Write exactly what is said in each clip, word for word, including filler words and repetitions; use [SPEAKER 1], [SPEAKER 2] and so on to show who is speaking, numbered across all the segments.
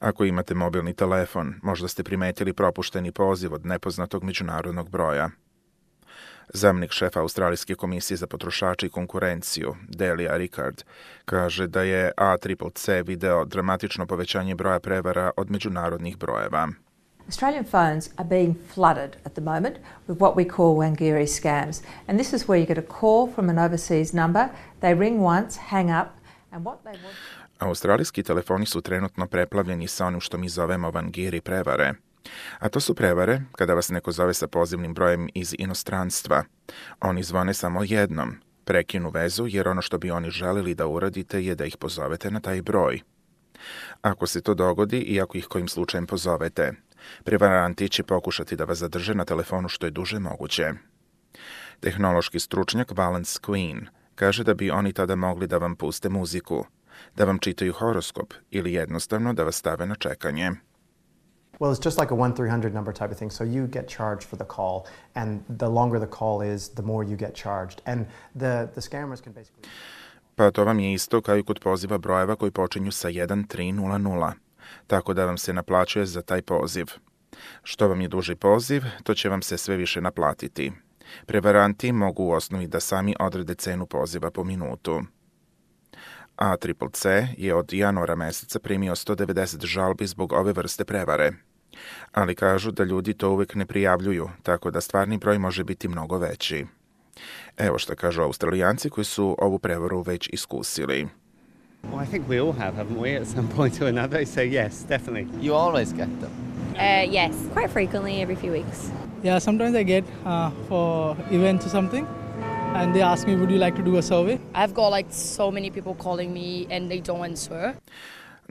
[SPEAKER 1] Ako imate mobilni telefon, možda ste primetili propušteni poziv od nepoznatog međunarodnog broja. Zamjenik šefa Australijske komisije za potrošače i konkurenciju, Delia Rickard, kaže da je A C C C video dramatično povećanje broja prevara od međunarodnih brojeva.
[SPEAKER 2] Australian phones are being flooded at the moment with what we call Wangiri scams. And this is where you get a call from an overseas number, they ring once, hang up, and what they want...
[SPEAKER 1] Australijski telefoni su trenutno preplavljeni sa onim što mi zovemo Wangiri prevare. A to su prevare kada vas neko zove sa pozivnim brojem iz inostranstva. Oni zvone samo jednom, prekinu vezu jer ono što bi oni želili da uradite je da ih pozovete na taj broj. Ako se to dogodi i ako ih kojim slučajem pozovete, prevaranti će pokušati da vas zadrže na telefonu što je duže moguće. Tehnološki stručnjak Valence Queen kaže da bi oni tada mogli da vam puste muziku, da vam čitaju horoskop ili jednostavno da vas stave na čekanje.
[SPEAKER 3] Well, it's just like a one three hundred number type of thing. So you get charged for the call, and the longer the call is, the more you get charged. And the, the scammers can basically...
[SPEAKER 1] Pa to vam je isto kao i kod poziva brojeva koji počinju sa jedan tri nula nula, tako da vam se naplaćuje za taj poziv. Što vam je duži poziv, to će vam se sve više naplatiti. Prevaranti mogu u osnovi da sami odrede cenu poziva po minutu. A C C C je od januara meseca primio sto devedeset žalbi zbog ove vrste prevare. Ali kažu da ljudi to uvijek ne prijavljuju, tako da stvarni broj može biti mnogo veći. Evo što kažu Australijanci koji su ovu prevaru već iskusili.
[SPEAKER 4] Well, I think we all have, haven't we, at some point or another? So yes, definitely.
[SPEAKER 5] You always get them?
[SPEAKER 6] Uh, yes, quite frequently, every few weeks.
[SPEAKER 7] Yeah, sometimes I get uh, for events or something, and they ask me, would you like to do a survey?
[SPEAKER 6] I've got like so many people calling me and they don't answer.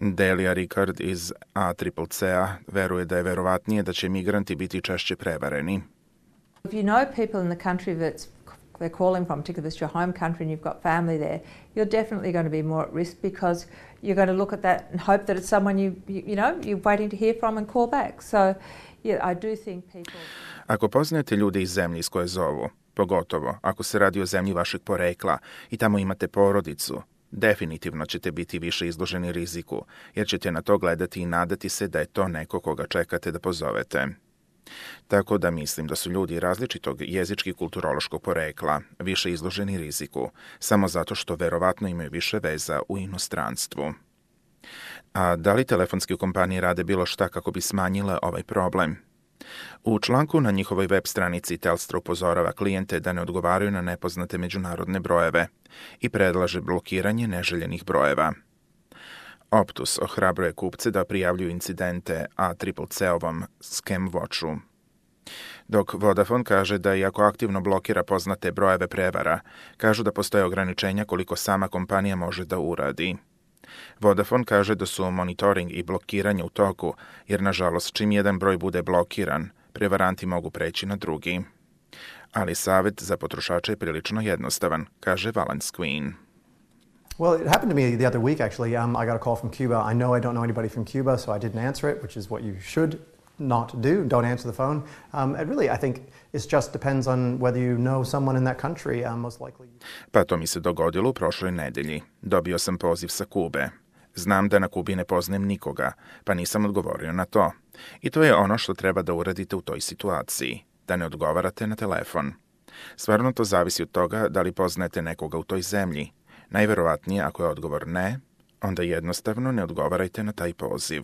[SPEAKER 1] Delia Rickard iz A C C C-a veruje da je verovatnije da će migranti biti češće prevareni.
[SPEAKER 2] If you know people in the country that's they're calling from, particularly if it's your home country and you've got family there, you're definitely going to be more at risk because you're going to look at that and hope that it's someone you, you, you know, you're waiting to hear from and call back. So, yeah, I do think people...
[SPEAKER 1] Ako poznajete ljude iz zemlje iz koje zovu, pogotovo ako se radi o zemlji vašeg porekla i tamo imate porodicu, definitivno ćete biti više izloženi riziku, jer ćete na to gledati i nadati se da je to neko koga čekate da pozovete. Tako da mislim da su ljudi različitog jezički kulturološkog porekla više izloženi riziku, samo zato što verovatno imaju više veza u inostranstvu. A da li telefonske kompanije rade bilo šta kako bi smanjile ovaj problem? U članku na njihovoj web stranici Telstra upozorava klijente da ne odgovaraju na nepoznate međunarodne brojeve i predlaže blokiranje neželjenih brojeva. Optus ohrabruje kupce da prijavljuju incidente A C C C-ovom Scam Watchu. Dok Vodafone kaže da iako aktivno blokira poznate brojeve prevara, kažu da postoje ograničenja koliko sama kompanija može da uradi. Vodafone kaže da su monitoring i blokiranje u toku, jer nažalost čim jedan broj bude blokiran, prevaranti mogu preći na drugi. Ali savjet za potrošače je prilično jednostavan, kaže Valence Queen.
[SPEAKER 3] Well, it happened to me the other week, actually. Um, I got a call from Cuba. I know I don't know anybody from Cuba, so I didn't answer it, which is what you should not do. Don't answer the phone. Um, it really, I think, it just depends on whether you know someone in that country. Um, most likely.
[SPEAKER 1] Pa to mi se dogodilo u prošloj nedelji. Dobio sam poziv sa Kube. Znam da na Kubi ne poznajem nikoga, pa nisam odgovorio na to. I to je ono što treba da uradite u toj situaciji, da ne odgovarate na telefon. Stvarno to zavisi od toga da li poznajete nekoga u toj zemlji. Najverovatnije ako je odgovor ne, onda jednostavno ne odgovarajte na taj poziv.